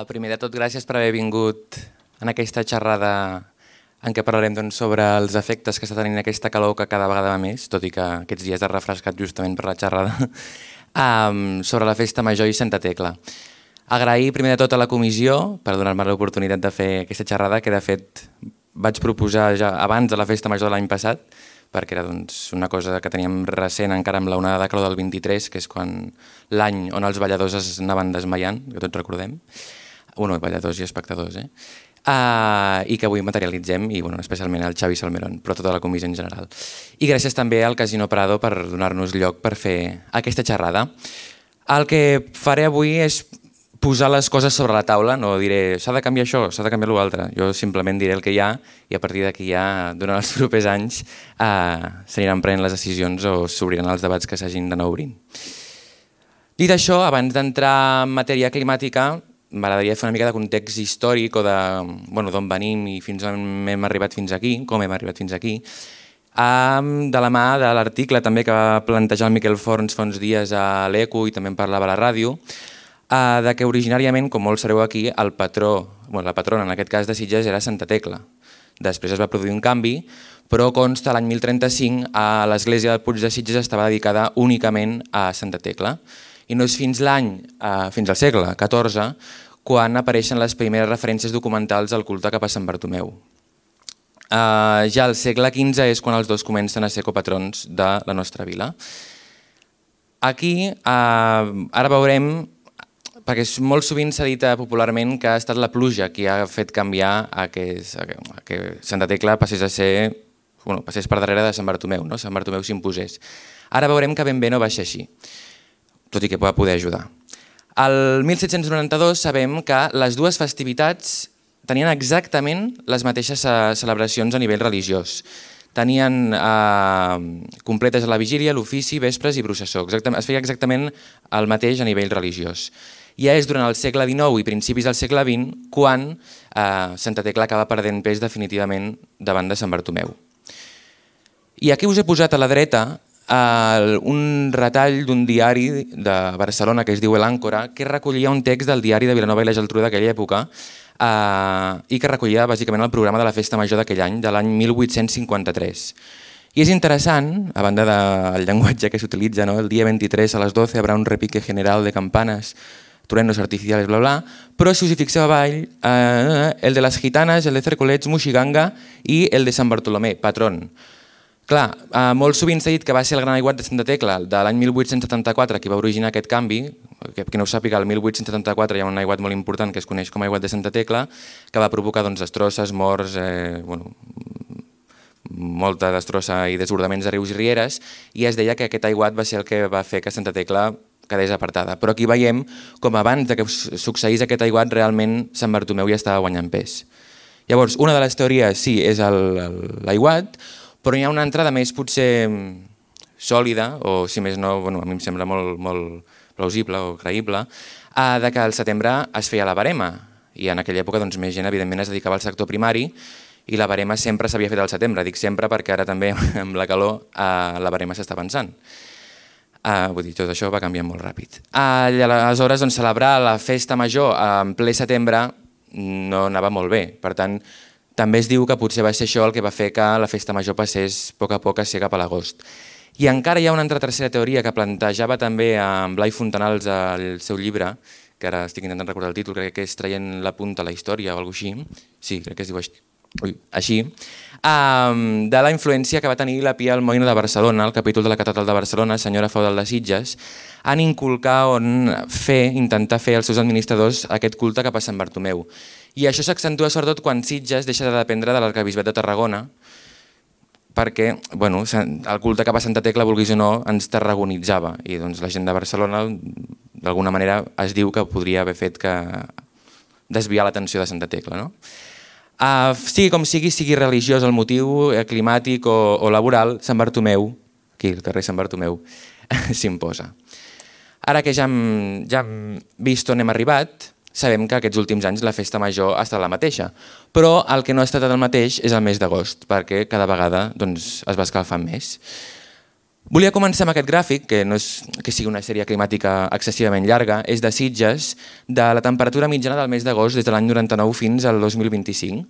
Primer de tot, gràcies per haver vingut en aquesta xerrada en què parlarem sobre els efectes que està tenint aquesta calor que cada vegada va més, tot i que aquests dies ha refrescat justament per la xerrada, sobre la Festa Major i Santa Tecla. Agrair primer de tot a la comissió per donar-me l'oportunitat de fer aquesta xerrada, que de fet vaig proposar ja abans de la Festa Major de l'any passat, perquè era una cosa que teníem recent encara amb l'onada de calor del 23, que és quan l'any on els balladors es anaven desmaiant, que tots recordem, balladors i espectadors, i que avui materialitzem, i especialment el Xavi Salmerón, però tota la comissió en general. I gràcies també al Casino Prado per donar-nos lloc per fer aquesta xerrada. El que faré avui és posar les coses sobre la taula, no diré s'ha de canviar això, s'ha de canviar l'altre, jo simplement diré el que hi ha i a partir d'aquí ja, durant els propers anys, s'aniran prenent les decisions o s'obriran els debats que s'hagin d'anar obrint. Dit això, abans d'entrar en matèria climàtica, m'agradaria fer una mica de context històric o d'on venim i fins on hem arribat fins aquí, com hem arribat fins aquí, de la mà de l'article també que va plantejar el Miquel Forns fa uns dies a l'Eco i també en parlava a la ràdio, de que originàriament, com molts sabeu aquí, la patrona en aquest cas de Sitges era Santa Tecla. Després es va produir un canvi, però consta l'any 1035 l'església del Puig de Sitges estava dedicada únicament a Santa Tecla. I no és fins al segle XIV, quan apareixen les primeres referències documentals al culte cap a Sant Bartomeu. Ja al segle XV és quan els dos comencen a ser copatrons de la nostra vila. Aquí, ara veurem, perquè molt sovint s'ha dit popularment que ha estat la pluja qui ha fet canviar que Santa Tecla passés per darrere de Sant Bartomeu, no? Sant Bartomeu s'imposés. Ara veurem que ben bé no va ser així, tot i que va poder ajudar. El 1792 sabem que les dues festivitats tenien exactament les mateixes celebracions a nivell religiós. Tenien completes a la vigília, l'ofici, vespres i processó. Es feia exactament el mateix a nivell religiós. Ja és durant el segle XIX i principis del segle XX quan Santa Tecla acaba perdent pes definitivament davant de Sant Bartomeu. I aquí us he posat a la dreta un retall d'un diari de Barcelona que es diu El Àncora, que recollia un text del diari de Vilanova i la Geltrú d'aquella època i que recollia bàsicament el programa de la Festa Major d'aquell any, de l'any 1853. I és interessant, a banda del llenguatge que s'utilitza, el dia 23 a les 12 habrá un repique general de campanas, truenos artificiales, bla, bla, però si us hi fixeu avall, el de les gitanes, el de Cercolets, Moixiganga i el de Sant Bartolomé, patrón. Clar, molt sovint s'ha dit que va ser el gran aiguat de Santa Tecla de l'any 1874 qui va originar aquest canvi, que no ho sàpiga, el 1874 hi ha un aiguat molt important que es coneix com a aiguat de Santa Tecla, que va provocar destrosses, morts, molta destrossa i desbordaments de rius i rieres, i es deia que aquest aiguat va ser el que va fer que Santa Tecla quedés apartada. Però aquí veiem com abans que succeís aquest aiguat realment Sant Bartomeu ja estava guanyant pes. Llavors, una de les teories sí és l'aiguat, però hi ha una entrada més potser sòlida, o si més no, a mi em sembla molt plausible o creïble, de que al setembre es feia la barema, i en aquella època més gent evidentment es dedicava al sector primari, i la barema sempre s'havia fet al setembre, dic sempre perquè ara també amb la calor la barema s'està avançant. Vull dir, tot això va canviant molt ràpid. Aleshores, celebrar la festa major en ple setembre no anava molt bé, per tant, també es diu que potser va ser això el que va fer que la festa major passés a poc a ser cap a l'agost. I encara hi ha una altra tercera teoria que plantejava també en Blai Fontanals al seu llibre, que ara estic intentant recordar el títol, crec que és Traient la punta a la història o alguna cosa així, sí, crec que es diu així, de la influència que va tenir la Pia Almoina de Barcelona, el capítol de la catedral de Barcelona, senyora feudal de Sitges, en inculcar o intentar fer als seus administradors aquest culte cap a Sant Bartomeu. I això s'accentua sobretot quan Sitges deixa de dependre de l'arquebisbat de Tarragona, perquè el culte cap a Santa Tecla, vulguis o no, ens tarragonitzava, i la gent de Barcelona d'alguna manera es diu que podria haver fet que desviar l'atenció de Santa Tecla. Sigui com sigui religiós el motiu, climàtic o laboral, Sant Bartomeu, aquí al carrer Sant Bartomeu, s'imposa. Ara que ja hem vist on hem arribat, sabem que aquests últims anys la festa major ha estat la mateixa, però el que no ha estat el mateix és el mes d'agost, perquè cada vegada es va escalfant més. Volia començar amb aquest gràfic, que no és que sigui una sèrie climàtica excessivament llarga, és de Sitges, de la temperatura mitjana del mes d'agost des de l'any 99 fins al 2025.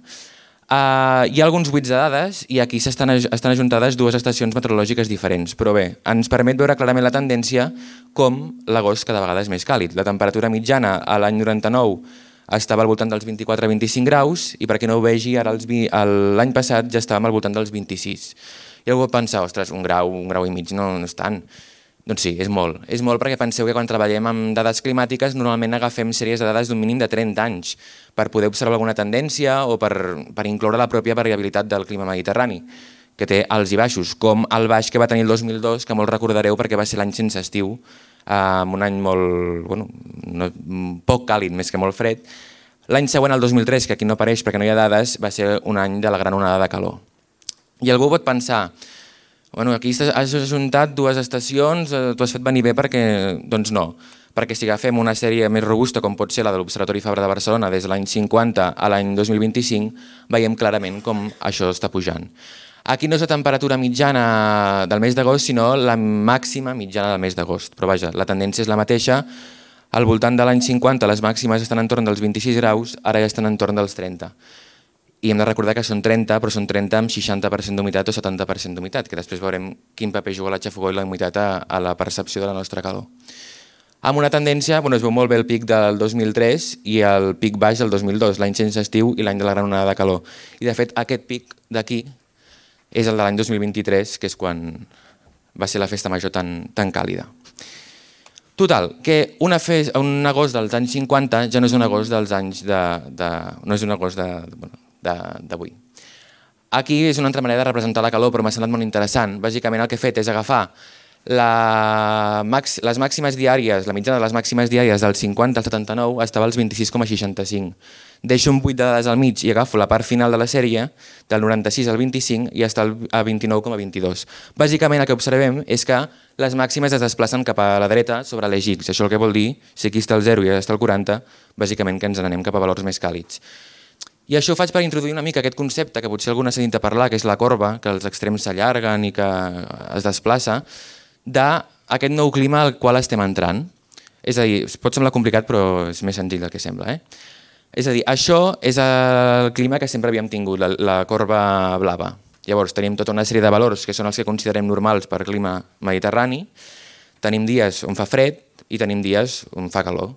Hi ha alguns buits de dades i aquí estan ajuntades dues estacions meteorològiques diferents, però bé, ens permet veure clarament la tendència com l'agost cada vegada és més càlid. La temperatura mitjana a l'any 99 estava al voltant dels 24-25 graus i per qui no ho vegi, ara l'any passat ja estàvem al voltant dels 26. I algú pot pensar, ostres, un grau i mig no és tant. Doncs sí, és molt. És molt perquè penseu que quan treballem amb dades climàtiques normalment agafem sèries de dades d'un mínim de 30 anys per poder observar alguna tendència o per incloure la pròpia variabilitat del clima mediterrani, que té alts i baixos, com el baix que va tenir el 2002, que molt recordareu perquè va ser l'any sense estiu, un any poc càlid, més que molt fred. L'any següent, el 2003, que aquí no apareix perquè no hi ha dades, va ser un any de la gran onada de calor. I algú pot pensar, aquí has ajuntat dues estacions, t'ho has fet venir bé perquè... Doncs no, perquè si agafem una sèrie més robusta com pot ser la de l'Observatori Fabra de Barcelona des de l'any 50 a l'any 2025, veiem clarament com això està pujant. Aquí no és la temperatura mitjana del mes d'agost, sinó la màxima mitjana del mes d'agost. Però vaja, la tendència és la mateixa. Al voltant de l'any 50 les màximes estan entorn dels 26 graus, ara ja estan entorn dels 30. I hem de recordar que són 30, però són 30 amb 60% d'humitat o 70% d'humitat, que després veurem quin paper juga la xafogor i la humitat a la percepció de la nostra calor. Amb una tendència, es veu molt bé el pic del 2003 i el pic baix del 2002, l'any sense estiu i l'any de la gran onada de calor. I de fet aquest pic d'aquí és el de l'any 2023, que és quan va ser la festa major tan càlida. Total, que un agost dels anys 50 ja no és un agost dels anys no és un agost d'avui. Aquí és una altra manera de representar la calor, però m'ha semblat molt interessant. Bàsicament el que he fet és agafar les màximes diàries, la mitjana de les màximes diàries del 50 al 79 estava als 26,65. Deixo un buit de dades al mig i agafo la part final de la sèrie, del 96 al 25, i està a 29,22. Bàsicament el que observem és que les màximes es desplacen cap a la dreta sobre l'eix X. Això el que vol dir, si aquí està el 0 i allà està el 40, bàsicament que ens n'anem cap a valors més càlids. I això ho faig per introduir una mica aquest concepte que potser algú n'ha sentit a parlar, que és la corba, que els extrems s'allarguen i que es desplaça, d'aquest nou clima al qual estem entrant. És a dir, pot semblar complicat però és més senzill del que sembla. És a dir, això és el clima que sempre havíem tingut, la corba blava. Llavors tenim tota una sèrie de valors que són els que considerem normals per clima mediterrani, tenim dies on fa fred i tenim dies on fa calor.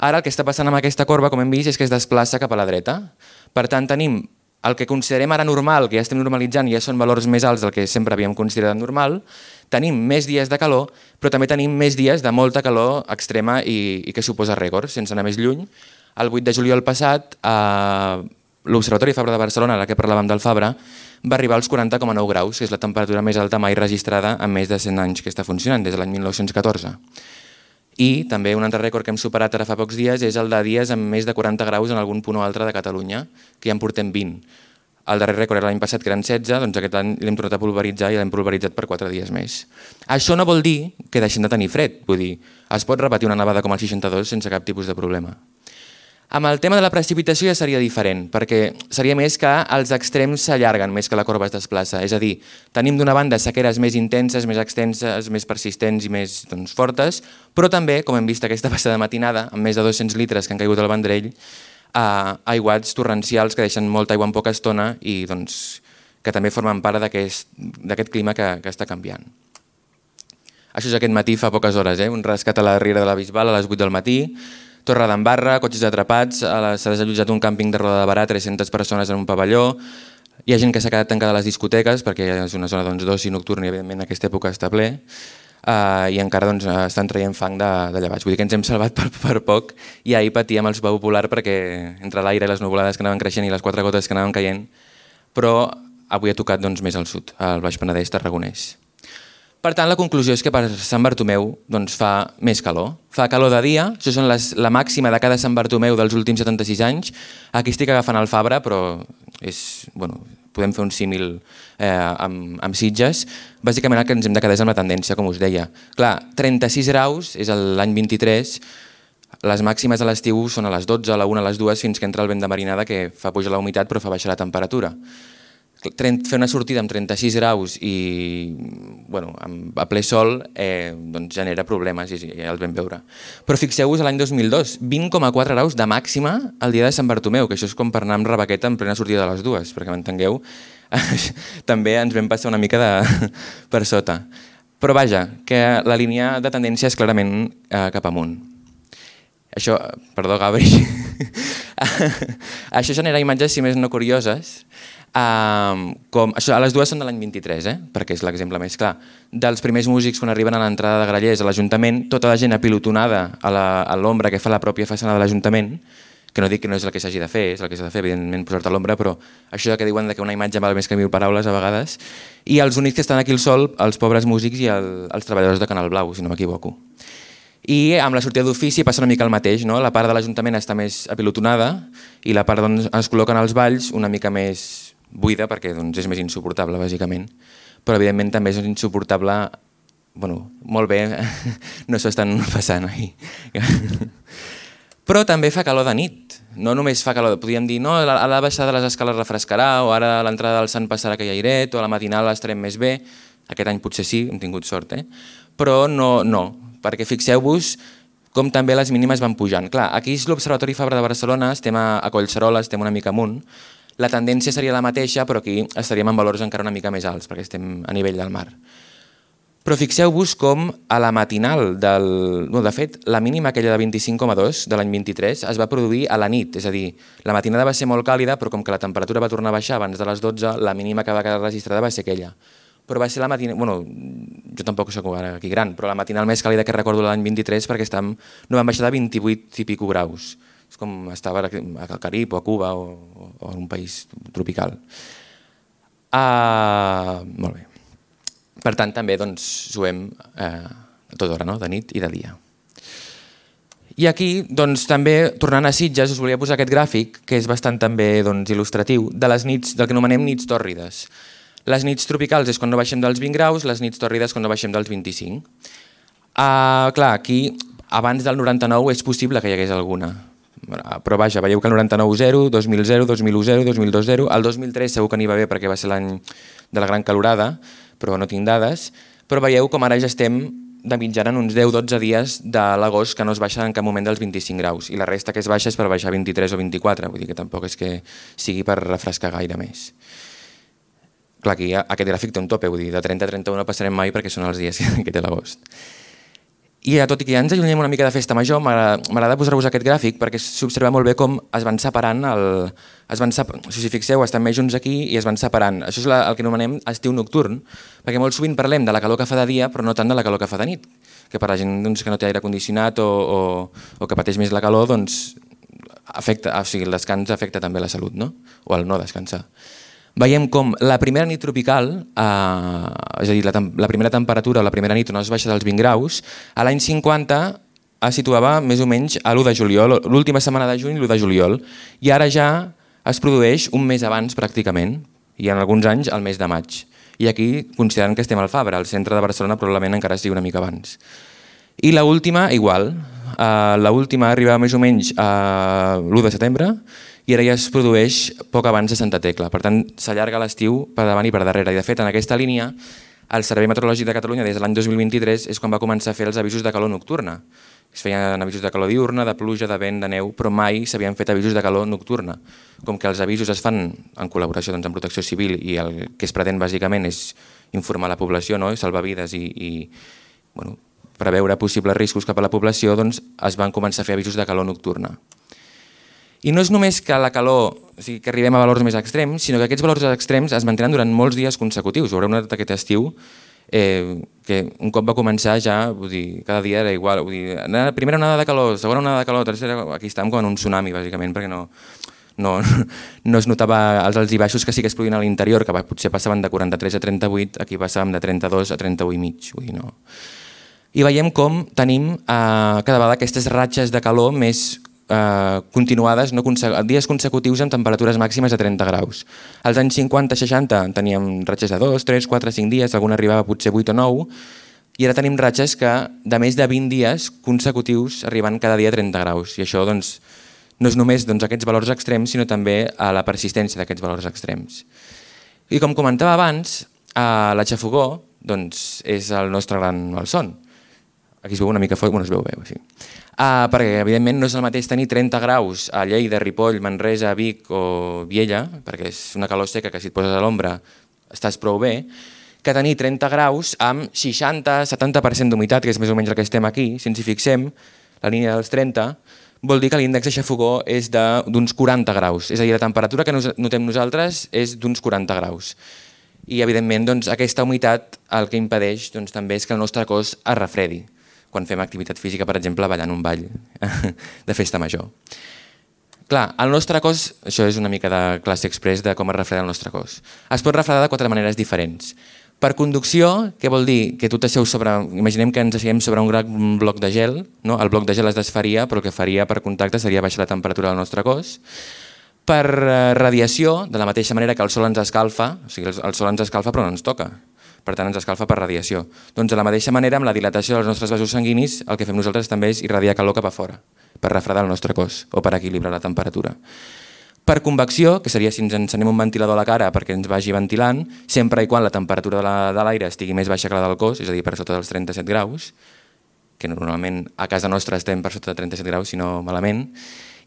Ara el que està passant amb aquesta corba, com hem vist, és que es desplaça cap a la dreta. Per tant, tenim el que considerem ara normal, que ja estem normalitzant, ja són valors més alts del que sempre havíem considerat normal, tenim més dies de calor, però també tenim més dies de molta calor extrema i que suposa rècords, sense anar més lluny. El 8 de juliol passat, l'Observatori Fabra de Barcelona, en què parlàvem del Fabra, va arribar als 40,9 graus, que és la temperatura més alta mai registrada en més de 100 anys que està funcionant, des de l'any 1914. I també un altre rècord que hem superat ara fa pocs dies és el de dies amb més de 40 graus en algun punt o altre de Catalunya, que ja en portem 20. El darrer rècord era l'any passat, que eren 16, doncs aquest any l'hem tornat a pulveritzar i l'hem pulveritzat per 4 dies més. Això no vol dir que deixem de tenir fred, vull dir, es pot repetir una nevada com el 62 sense cap tipus de problema. Amb el tema de la precipitació ja seria diferent, perquè seria més que els extrems s'allarguen més que la corba es desplaça. És a dir, tenim d'una banda sequeres més intenses, més extenses, més persistents i més fortes, però també, com hem vist aquesta passada matinada, amb més de 200 litres que han caigut al Vendrell, aiguats torrencials que deixen molta aigua en poca estona i que també formen part d'aquest clima que està canviant. Això és aquest matí fa poques hores, un rescat a la Riera de la Bisbal a les 8 del matí, Torredembarra, cotxes atrapats, s'ha desallotjat un càmping de Roda de Barà, 300 persones en un pavelló, hi ha gent que s'ha quedat tancada a les discoteques perquè és una zona d'oci nocturn i evidentment en aquesta època està ple, i encara estan traient fang de llevats. Vull dir que ens hem salvat per poc i ahir patíem el sopar popular perquè entre l'aire i les nuvolades que anaven creixent i les 4 gotes que anaven caient, però avui ha tocat més al sud, al Baix Penedès tarragonès. Per tant, la conclusió és que per Sant Bartomeu fa més calor. Fa calor de dia, això són la màxima de cada Sant Bartomeu dels últims 76 anys. Aquí estic agafant el Fabra, però podem fer un símil amb Sitges. Bàsicament el que ens hem de quedar és amb la tendència, com us deia. Clar, 36 graus és l'any 23, les màximes a l'estiu són a les 12, a la 1, a les 2, fins que entra el vent de marinada que fa pujar la humitat però fa baixar la temperatura. fer una sortida amb 36 graus i a ple sol genera problemes i ja els vam veure. Però fixeu-vos l'any 2002, 20,4 graus de màxima el dia de Sant Bartomeu, que això és com per anar amb rebaqueta en plena sortida de les dues, perquè m'entengueu, també ens vam passar una mica per sota. Però vaja, que la línia de tendència és clarament cap amunt. Això, perdó Gabri, això genera imatges, si més no curioses, les dues són de l'any 23, perquè és l'exemple més clar. Dels primers músics quan arriben a l'entrada de Grallers a l'Ajuntament, tota la gent apilotonada a l'ombra que fa la pròpia façana de l'Ajuntament, que no dic que no és el que s'hagi de fer, és el que s'ha de fer, evidentment, posar-te a l'ombra, però això que diuen que una imatge val més que 1000 paraules a vegades, i els únics que estan aquí al sol, els pobres músics i els treballadors de Canal Blau, si no m'equivoco. I amb la sortida d'ofici passa una mica el mateix, no? La part de l'Ajuntament està més apilotonada i la part on es col·loquen els balls una mica més buida perquè és més insuportable, bàsicament. Però evidentment també és insuportable, molt bé, no s'ho estan passant ahir. Però també fa calor de nit, no només fa calor, podríem dir, no, a la baixada de les escales refrescarà, o ara a l'entrada del Sant passarà aquell airet, o a la matinal estarem més bé, aquest any potser sí, hem tingut sort, però no, perquè fixeu-vos com també les mínimes van pujant. Clar, aquí és l'Observatori Fabra de Barcelona, estem a Collserola, estem una mica amunt, la tendència seria la mateixa, però aquí estaríem en valors encara una mica més alts, perquè estem a nivell del mar. Però fixeu-vos com a la matinal de fet, la mínima aquella de 25,2 de l'any 23 es va produir a la nit, és a dir, la matinada va ser molt càlida, però com que la temperatura va tornar a baixar abans de les 12, la mínima que va quedar registrada va ser aquella. Però va ser la matinal, jo tampoc soc aquí gran, però la matinal més càlida que recordo l'any 23 perquè no van baixar de 28 i pico graus. És com estava al Carib o a Cuba o en un país tropical. Molt bé. Per tant, també suem a tota hora, de nit i de dia. I aquí, també, tornant a Sitges, us volia posar aquest gràfic, que és bastant també il·lustratiu, de les nits, del que anomenem nits tòrrides. Les nits tropicals és quan no baixem dels 20 graus, les nits tòrrides quan no baixem dels 25. Clar, aquí, abans del 99 és possible que hi hagués alguna. Però vaja, veieu que el 99 0, 2000 0, 2001 0, 2002 0, el 2003 segur que n'hi va bé perquè va ser l'any de la gran calorada, però no tinc dades, però veieu com ara ja estem de mitjana en uns 10-12 dies de l'agost que no es baixa en cap moment dels 25 graus i la resta que es baixa és per baixar 23 o 24, vull dir que tampoc és que sigui per refrescar gaire més. Clar, aquí aquest gràfic té un tope, vull dir, de 30 a 31 no passarem mai perquè són els dies que té l'agost. I tot i que ja ens allunyem una mica de festa major, m'agrada posar-vos aquest gràfic perquè s'observa molt bé com es van separant, si fixeu, estan més junts aquí i es van separant. Això és el que anomenem estiu nocturn, perquè molt sovint parlem de la calor que fa de dia però no tant de la calor que fa de nit, que per la gent que no té aire condicionat o que pateix més la calor, el descans afecta també la salut, o el no descansar. Veiem com la primera nit tropical, és a dir, la primera temperatura o la primera nit on es baixa dels 20 graus, a l'any 50 es situava més o menys a l'1 de juliol, l'última setmana de juny, l'1 de juliol, i ara ja es produeix un mes abans pràcticament, i en alguns anys el mes de maig. I aquí, considerant que estem al Fabra, al centre de Barcelona probablement encara sigui una mica abans. I l'última, igual, l'última arriba més o menys a l'1 de setembre, i ara ja es produeix poc abans de Santa Tecla. Per tant, s'allarga l'estiu per davant i per darrere. I de fet, en aquesta línia, el Servei Meteorològic de Catalunya des de l'any 2023 és quan va començar a fer els avisos de calor nocturna. Es feien avisos de calor diurna, de pluja, de vent, de neu, però mai s'havien fet avisos de calor nocturna. Com que els avisos es fan en col·laboració amb Protecció Civil i el que es pretén bàsicament és informar la població, salvar vides i preveure possibles riscos cap a la població, es van començar a fer avisos de calor nocturna. I no és només que la calor, que arribem a valors més extrems, sinó que aquests valors extrems es mantenen durant molts dies consecutius. Ho haureu notat aquest estiu, que un cop va començar ja, cada dia era igual. Primera onada de calor, segona onada de calor, tercera... Aquí estàvem com en un tsunami, bàsicament, perquè no es notava els alts i baixos que sí que es produïen a l'interior, que potser passaven de 43 a 38, aquí passàvem de 32 a 31 i mig. I veiem com tenim cada vegada aquestes ratxes de calor més continuades, dies consecutius amb temperatures màximes de 30 graus. Als anys 50-60 teníem ratxes de 2, 3, 4, 5 dies, alguna arribava potser 8 o 9, i ara tenim ratxes que de més de 20 dies consecutius arriben cada dia a 30 graus. I això no és només aquests valors extrems, sinó també a la persistència d'aquests valors extrems. I com comentava abans, la xafogó és el nostre gran malson. Aquí es veu una mica fort, es veu bé, sí. Perquè evidentment no és el mateix tenir 30 graus a Lleida, Ripoll, Manresa, Vic o Viella, perquè és una calor seca que si et poses a l'ombra estàs prou bé, que tenir 30 graus amb 60-70% d'humitat, que és més o menys el que estem aquí. Si ens hi fixem, la línia dels 30, vol dir que l'índex de xafogó és d'uns 40 graus. És a dir, la temperatura que notem nosaltres és d'uns 40 graus. I evidentment aquesta humitat el que impedeix també és que el nostre cos es refredi quan fem activitat física, per exemple, ballant un ball de festa major. Clar, el nostre cos, això és una mica de classe express de com es refreda el nostre cos. Es pot refredar de 4 maneres diferents. Per conducció, què vol dir? Que tu t'asseus sobre... Imaginem que ens asseiem sobre un gran bloc de gel, no? El bloc de gel es desfaria, però el que faria per contacte seria baixar la temperatura del nostre cos. Per radiació, de la mateixa manera que el sol ens escalfa, o sigui, el sol ens escalfa però no ens toca, per tant ens escalfa per radiació. Doncs de la mateixa manera, amb la dilatació dels nostres vasos sanguinis, el que fem nosaltres també és irradiar calor cap a fora, per refredar el nostre cos o per equilibrar la temperatura. Per convecció, que seria si ens encenem un ventilador a la cara perquè ens vagi ventilant, sempre i quan la temperatura de l'aire estigui més baixa que la del cos, és a dir, per sota dels 37 graus, que normalment a casa nostra estem per sota de 37 graus, si no malament,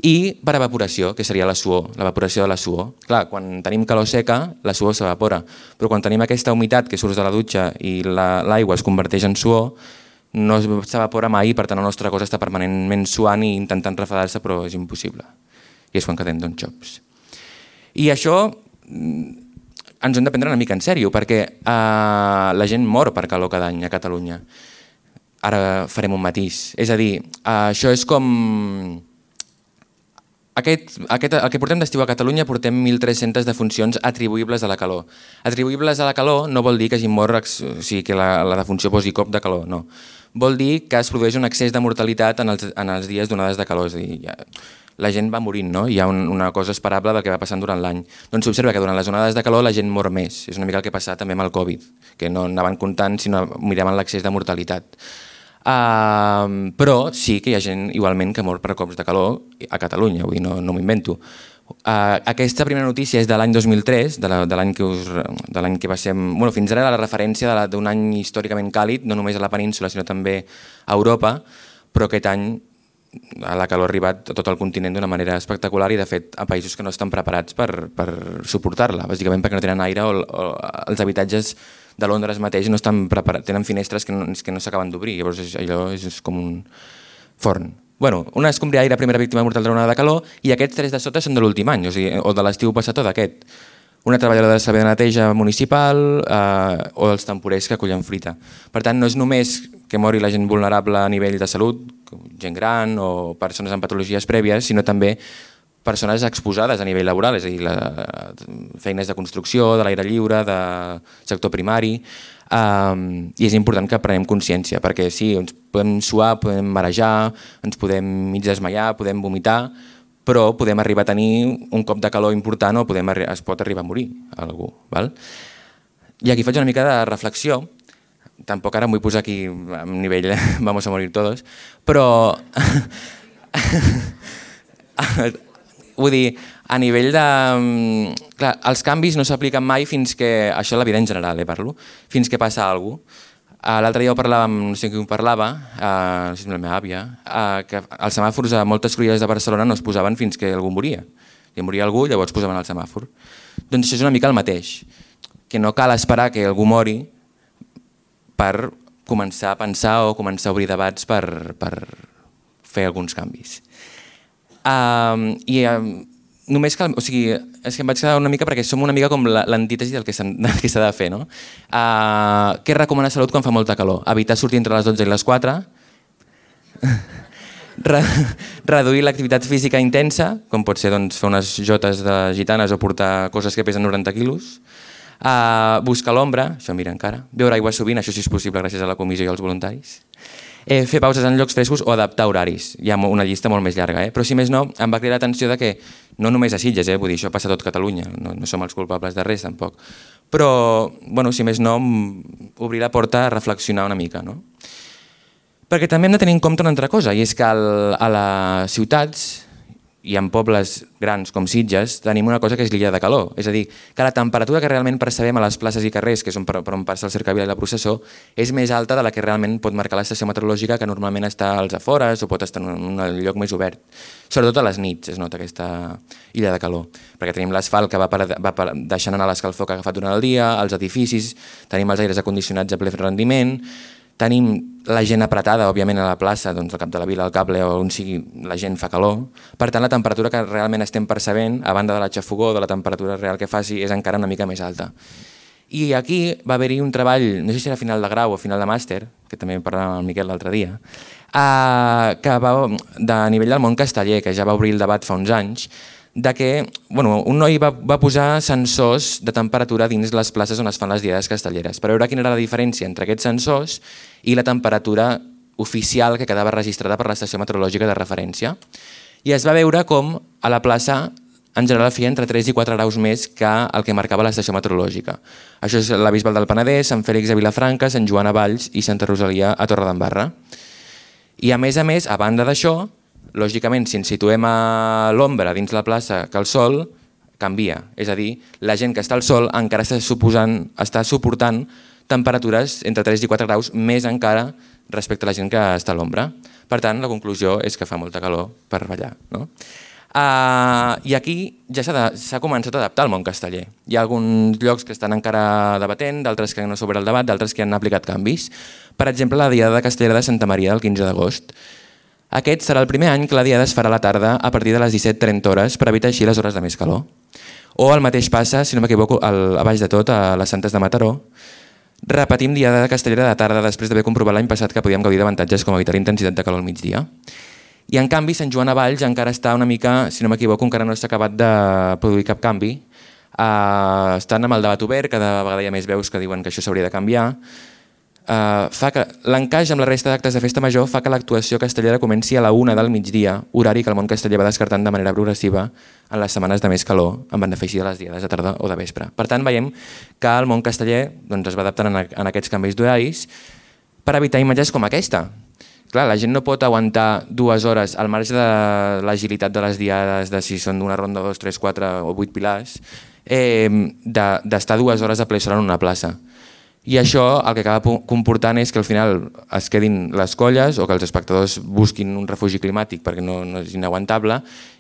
i per evaporació, que seria la suor, l'evaporació de la suor. Clar, quan tenim calor seca, la suor s'evapora, però quan tenim aquesta humitat que surt de la dutxa i l'aigua es converteix en suor, no s'evapora mai, per tant el nostre cos està permanentment suant i intentant refredar-se, però és impossible. I és quan quedem xops. I això ens ho hem de prendre una mica en sèrio, perquè la gent mor per calor cada any a Catalunya. Ara farem un matís. És a dir, això és com... El que portem d'estiu a Catalunya portem 1.300 defuncions atribuïbles a la calor. Atribuïbles a la calor no vol dir que hagi mort, o sigui, que la defunció posi cop de calor, no. Vol dir que es produeix un excés de mortalitat en els dies d'onades de calor, és a dir, la gent va morint, no? Hi ha una cosa esperable del que va passant durant l'any. Doncs s'observa que durant les onades de calor la gent mor més. És una mica el que ha passat també amb el Covid, que no anaven comptant sinó miraven l'excés de mortalitat. Però sí que hi ha gent igualment que mor per cops de calor a Catalunya, vull dir, no m'ho invento. Aquesta primera notícia és de l'any 2003, de l'any que va ser... Bueno, fins ara era la referència d'un any històricament càlid, no només a la península sinó també a Europa, però aquest any la calor ha arribat a tot el continent d'una manera espectacular i de fet a països que no estan preparats per suportar-la, bàsicament perquè no tenen aire o els habitatges de Londres mateix no estan preparats, tenen finestres que no s'acaben d'obrir, llavors allò és com un forn. Bueno, una escombriaire, primera víctima mortal de l'onada de calor, i aquests 3 de sota són de l'últim any, o de l'estiu passat o d'aquest. Una treballadora de servei de neteja municipal o els temporers que acollen fruita. Per tant, no és només que mori la gent vulnerable a nivell de salut, gent gran o persones amb patologies prèvies, sinó també persones exposades a nivell laboral, és a dir, feines de construcció, de l'aire lliure, de sector primari, i és important que prenem consciència, perquè sí, ens podem suar, podem marejar, ens podem mig desmaiar, podem vomitar, però podem arribar a tenir un cop de calor important o es pot arribar a morir algú. Val? I aquí faig una mica de reflexió, tampoc ara em vull posar aquí a nivell vamos a morir todos, però vull dir, a nivell de... Clar, els canvis no s'apliquen mai fins que... Això és la vida en general, parlo. Fins que passa alguna cosa. L'altre dia ho parlàvem, no sé qui ho parlava, no sé si la meva àvia, que els semàfors a moltes cruïlles de Barcelona no es posaven fins que algú moria. Si moria algú, llavors posaven el semàfor. Doncs això és una mica el mateix, que no cal esperar que algú mori per començar a pensar o començar a obrir debats per fer alguns canvis. Només cal, o sigui, és que em vaig quedar una mica perquè som una mica com l'antítesi del que s'ha de fer, no? Què recomana Salut quan fa molta calor? Evitar sortir entre les 12 i les 4, reduir l'activitat física intensa, com pot ser fer unes jotes de gitanes o portar coses que pesen 90 quilos, buscar l'ombra, això mira encara, beure aigua sovint, això sí és possible gràcies a la comissió i als voluntaris, fer pauses en llocs frescos o adaptar horaris. Hi ha una llista molt més llarga, però si més no, em va cridar l'atenció que no només a Sitges, vull dir, això passa a tot Catalunya, no som els culpables de res tampoc, però si més no, obrir la porta a reflexionar una mica. Perquè també hem de tenir en compte una altra cosa, i és que a les ciutats i en pobles grans com Sitges tenim una cosa que és l'illa de calor. És a dir, que la temperatura que realment percebem a les places i carrers, que és per on passa el cercavila i la processó, és més alta de la que realment pot marcar l'estació meteorològica, que normalment està als afores o pot estar en un lloc més obert. Sobretot a les nits es nota aquesta illa de calor, perquè tenim l'asfalt que va deixant anar l'escalfor que ha agafat durant el dia, els edificis, tenim els aires acondicionats a ple rendiment, tenim la gent apretada, òbviament, a la plaça, doncs al cap de la vila, al cable, o on sigui, la gent fa calor. Per tant, la temperatura que realment estem percebent, a banda de la xafogó, de la temperatura real que faci, és encara una mica més alta. I aquí va haver-hi un treball, no sé si era final de grau o final de màster, que també parlàvem amb el Miquel l'altre dia, que va de nivell del món casteller, que ja va obrir el debat fa uns anys, de que un noi va posar sensors de temperatura dins les places on es fan les diades castelleres per veure quina era la diferència entre aquests sensors i la temperatura oficial que quedava registrada per l'estació meteorològica de referència. I es va veure com a la plaça en general feia entre 3 i 4 graus més que el que marcava l'estació meteorològica. Això és la Bisbal del Penedès, Sant Fèlix a Vilafranca, Sant Joan a Valls i Santa Rosalia a Torredembarra. I a més, a banda d'això, lògicament, si ens situem a l'ombra dins la plaça que el sol canvia. És a dir, la gent que està al sol encara està suportant temperatures entre 3 i 4 graus més encara respecte a la gent que està a l'ombra. Per tant, la conclusió és que fa molta calor per ballar. No? I aquí ja s'ha començat a adaptar al món casteller. Hi ha alguns llocs que estan encara debatent, d'altres que no s'obre el debat, d'altres que han aplicat canvis. Per exemple, la Diada Castellera de Santa Maria del 15 d'agost. Aquest serà el primer any que la Diada es farà a la tarda a partir de les 17:30 hores per evitar així les hores de més calor. O el mateix passa, si no m'equivoco, a baix de tot, a les Santes de Mataró. Repetim Diada Castellera de tarda després d'haver comprovat l'any passat que podíem gaudir d'avantatges com evitar intensitat de calor al migdia. I en canvi, Sant Joan a Valls encara està una mica, si no m'equivoco, encara no s'ha acabat de produir cap canvi. Estan amb el debat obert, cada vegada hi ha més veus que diuen que això s'hauria de canviar. Fa que l'encaix amb la resta d'actes de festa major fa que l'actuació castellera comenci a la 1 del migdia, horari que el món casteller va descartant de manera progressiva en les setmanes de més calor, en benefici de les diades de tarda o de vespre. Per tant, veiem que el món casteller es va adaptant en aquests canvis d'horaris per evitar imatges com aquesta. Clar, la gent no pot aguantar 2 hores al marge de l'agilitat de les diades, de si són d'una ronda, 2, 3, 4 o 8 pilars, d'estar 2 hores a ple sol en una plaça. I això el que acaba comportant és que al final es quedin les colles o que els espectadors busquin un refugi climàtic perquè no és inaguantable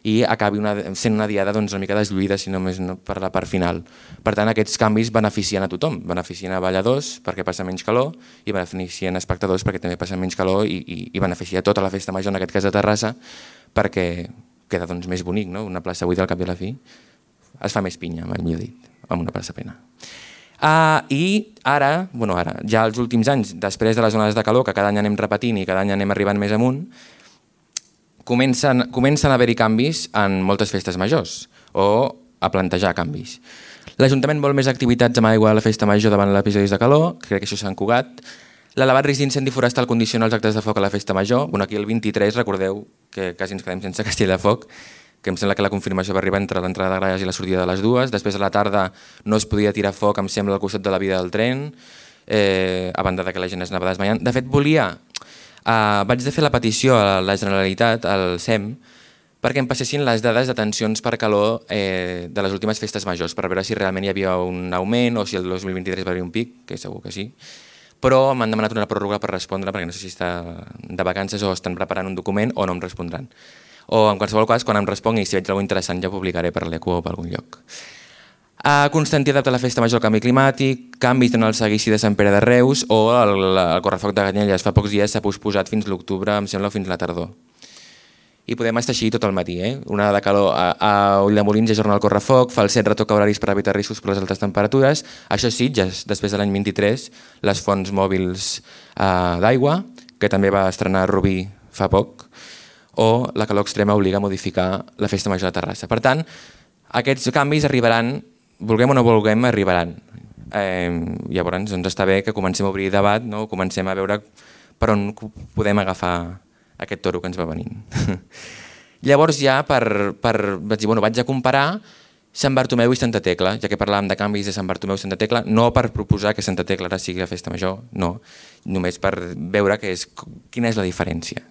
i acabi sent una diada una mica deslluïda, si només no per la part final. Per tant, aquests canvis beneficien a tothom, beneficien a balladors perquè passa menys calor i beneficien a espectadors perquè també passa menys calor i beneficia tota la festa major, en aquest cas de Terrassa, perquè queda més bonic, no? Una plaça buida al cap i a la fi es fa més pinya, millor dit, amb una plaça plena. I ara, ja els últims anys, després de les zones de calor, que cada any anem repetint i cada any anem arribant més amunt, comencen a haver-hi canvis en moltes festes majors, o a plantejar canvis. L'Ajuntament vol més activitats amb aigua a la festa major davant l'episodis de calor, crec que això s'ha encugat. L'elevat risc d'incendi forestal condiciona els actes de foc a la festa major. Aquí el 23, recordeu que quasi ens quedem sense castell de foc, que em sembla que la confirmació va arribar entre l'entrada de Gralles i la sortida de les dues. Després a la tarda no es podia tirar foc, em sembla, al costat de la via del tren, a banda que la gent es anava desmaiant. De fet, vaig de fer la petició a la Generalitat, al SEM, perquè em passessin les dades de tensions per calor de les últimes festes majors, per veure si realment hi havia un augment o si el 2023 va haver un pic, que segur que sí. Però m'han demanat una pròrroga per respondre, perquè no sé si està de vacances o estan preparant un document o no em respondran. O en qualsevol cas, quan em respongui, si veig alguna cosa interessant, ja ho publicaré per l'ECO o per algun lloc. Constantí adapta la festa major al canvi climàtic, canvis en el seguici de Sant Pere de Reus o el correfoc de Canyelles. Fa pocs dies s'ha posposat fins l'octubre, em sembla, o fins la tardor. I podem estar així tot el matí. Una de calor a Ulldemolins ajorna el correfoc, Falset retoca horaris per evitar riscos per les altes temperatures. Això sí, ja després de l'any 23, les fonts mòbils d'aigua, que també va estrenar Rubí fa poc, o la calor extrema obliga a modificar la festa major de Terrassa. Per tant, aquests canvis arribaran, vulguem o no vulguem, arribaran. Llavors està bé que comencem a obrir debat, comencem a veure per on podem agafar aquest toro que ens va venint. Llavors ja vaig dir, vaig a comparar Sant Bartomeu i Santa Tecla, ja que parlàvem de canvis de Sant Bartomeu i Santa Tecla, no per proposar que Santa Tecla ara sigui la festa major, no, només per veure quina és la diferència.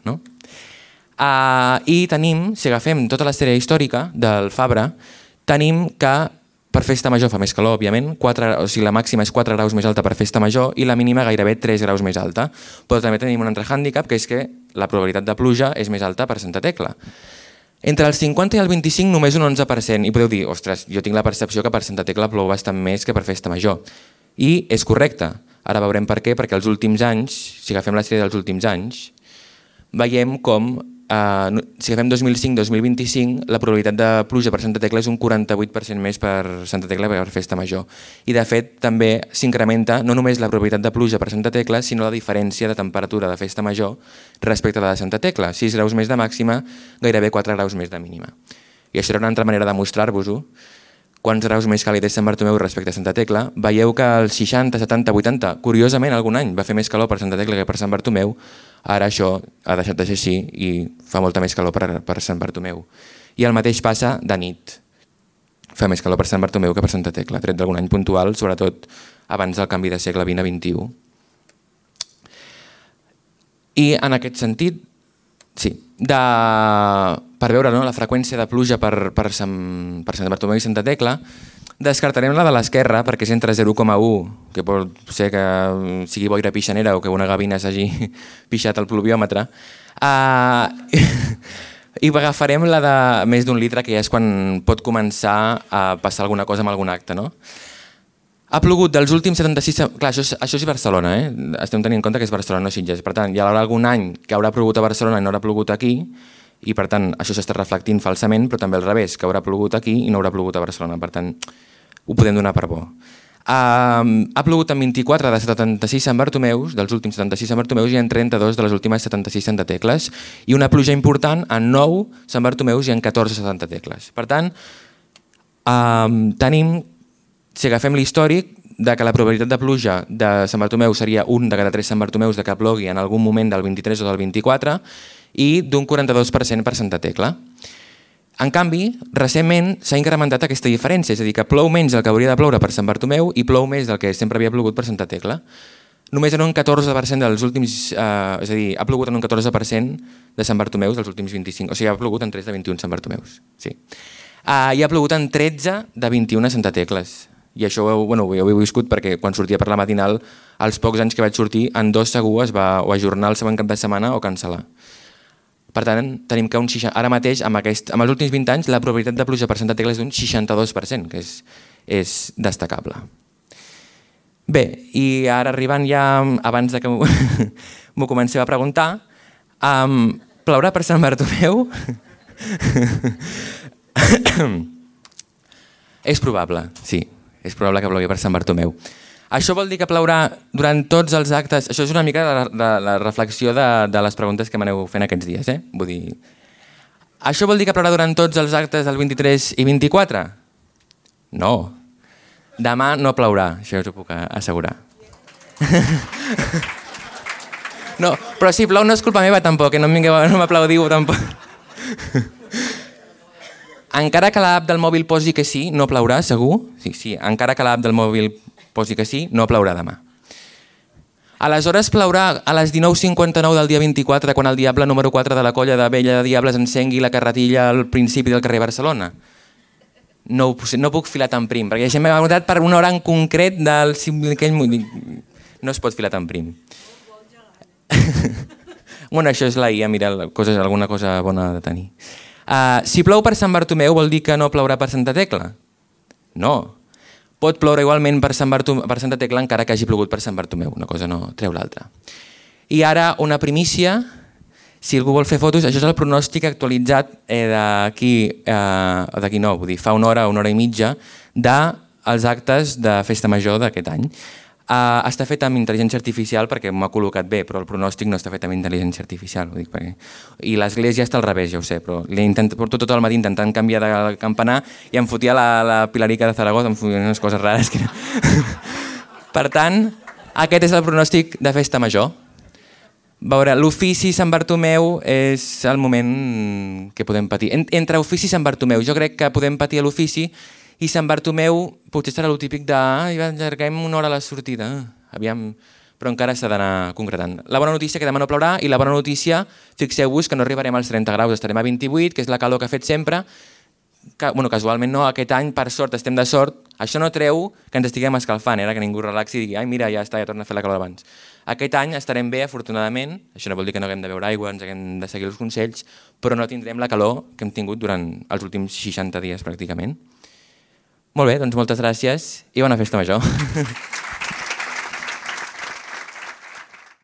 I tenim, si agafem tota la sèrie històrica del Fabra, tenim que per festa major fa més calor, òbviament, la màxima és 4 graus més alta per festa major i la mínima gairebé 3 graus més alta. Però també tenim un altre hàndicap, que és que la probabilitat de pluja és més alta per Santa Tecla. Entre el 50 i el 25 només un 11%, i podeu dir, ostres, jo tinc la percepció que per Santa Tecla plou bastant més que per festa major. I és correcte. Ara veurem per què, perquè els últims anys, si agafem la sèrie dels últims anys, veiem com, si agafem 2005-2025, la probabilitat de pluja per Santa Tecla és un 48% més per Santa Tecla que per festa major. I de fet també s'incrementa no només la probabilitat de pluja per Santa Tecla, sinó la diferència de temperatura de festa major respecte a la de Santa Tecla. 6 graus més de màxima, gairebé 4 graus més de mínima. I això era una altra manera de mostrar-vos-ho. Quants graus més càlid és Sant Bartomeu respecte a Santa Tecla. Veieu que els 60, 70, 80, curiosament algun any va fer més calor per Santa Tecla que per Sant Bartomeu. Ara això ha deixat de ser així i fa molta més calor per Sant Bartomeu. I el mateix passa de nit. Fa més calor per Sant Bartomeu que per Santa Tecla, tret d'algun any puntual, sobretot abans del canvi de segle XX a XXI. I en aquest sentit, sí, per veure la freqüència de pluja per Sant Bartomeu i Santa Tecla, descartarem la de l'esquerra perquè és entre 0,1, que pot ser que sigui boira pixanera o que una gavina s'hagi pixat al pluviòmetre, i agafarem la de més d'1 litre, que ja és quan pot començar a passar alguna cosa amb algun acte. Ha plogut dels últims 76... Clar, això és Barcelona, estem tenint en compte que és Barcelona, no Sitges. Per tant, hi haurà algun any que haurà plogut a Barcelona i no haurà plogut aquí, i per tant això s'està reflectint falsament, però també al revés, que haurà plogut aquí i no haurà plogut a Barcelona. Per tant, ho podem donar per bo. Ha plogut en 24 de 76 Sant Bartomeus, dels últims 76 Sant Bartomeus, i en 32 de les últimes 76 Santa Tecles, i una pluja important en 9 Sant Bartomeus i en 14 Santa Tecles. Per tant, tenim, si agafem l'històric, que la probabilitat de pluja de Sant Bartomeu seria un de cada 3 Sant Bartomeus de que plogui en algun moment del 23 o del 24 i d'un 42% per Santa Tecla. En canvi, recentment s'ha incrementat aquesta diferència, és a dir, que plou menys del que hauria de ploure per Sant Bartomeu i plou més del que sempre havia plogut per Santa Tecla. Només en un 14% dels últims... és a dir, ha plogut en un 14% de Sant Bartomeus dels últims 25... O sigui, ha plogut en 3 de 21 Sant Bartomeus. Sí. I ha plogut en 13 de 21 a Santa Tecles. I això ho heu viscut perquè quan sortia per la matinal, els pocs anys que vaig sortir, en 2 segur es va o ajornar el següent cap de setmana o cancel·lar. Per tant, tenim que ara mateix, amb els últims 20 anys, la probabilitat de pluja per Santa Tecla és d'un 62%, que és destacable. Bé, i ara arribant ja, abans que m'ho comenceu a preguntar, plourà per Sant Bartomeu? És probable, sí, és probable que plogui per Sant Bartomeu. Això vol dir que plourà durant tots els actes... Això és una mica la reflexió de les preguntes que m'aneu fent aquests dies. Vull dir... Això vol dir que plourà durant tots els actes del 23 i 24? No. Demà no plourà, això us ho puc assegurar. No, però si plou no és culpa meva tampoc, no m'aplaudiu tampoc. Encara que l'app del mòbil posi que sí, no plourà, segur? Sí, encara que l'app del mòbil posi que sí, no plourà demà. Aleshores plourà a les 19:59 del dia 24 quan el diable número 4 de la colla de Vella de Diables encengui la carretilla al principi del carrer Barcelona. No puc filar tan prim, perquè això m'ha notat per una hora en concret del... No es pot filar tan prim. Bueno, això és la IA, mira, alguna cosa bona de tenir. Si plou per Sant Bartomeu vol dir que no plourà per Santa Tecla? No. Pot ploure igualment per Santa Tecla encara que hagi plogut per Sant Bartomeu. Una cosa no treu l'altra. I ara una primícia, si algú vol fer fotos, això és el pronòstic actualitzat d'aquí no, vull dir, fa una hora i mitja, dels actes de Festa Major d'aquest any. Està fet amb intel·ligència artificial perquè m'ha col·locat bé, però el pronòstic no està fet amb intel·ligència artificial. I l'església està al revés, ja ho sé, però porto tot el matí intentant canviar de campanar i em fotia la Pilarica de Zaragoza, em fotia unes coses rares. Per tant, aquest és el pronòstic de Festa Major. L'ofici Sant Bartomeu és el moment que podem patir. Entre ofici i Sant Bartomeu, jo crec que podem patir a l'ofici i Sant Bartomeu potser serà el típic de allarguem una hora a la sortida. Aviam, però però encara s'ha d'anar concretant. La bona notícia que demà no plourà i la bona notícia, fixeu-vos que no arribarem als 30 graus, estarem a 28, que és la calor que ha fet sempre. Casualment no, aquest any per sort estem de sort. Això no treu que ens estiguem escalfant, que ningú relaxi i digui ai mira, ja està, ja torna a fer la calor abans. Aquest any estarem bé, afortunadament, això no vol dir que no haguem de beure aigua, ens haguem de seguir els consells, però no tindrem la calor que hem tingut durant els últims 60 dies pràcticament. Molt bé, doncs moltes gràcies i bona festa major.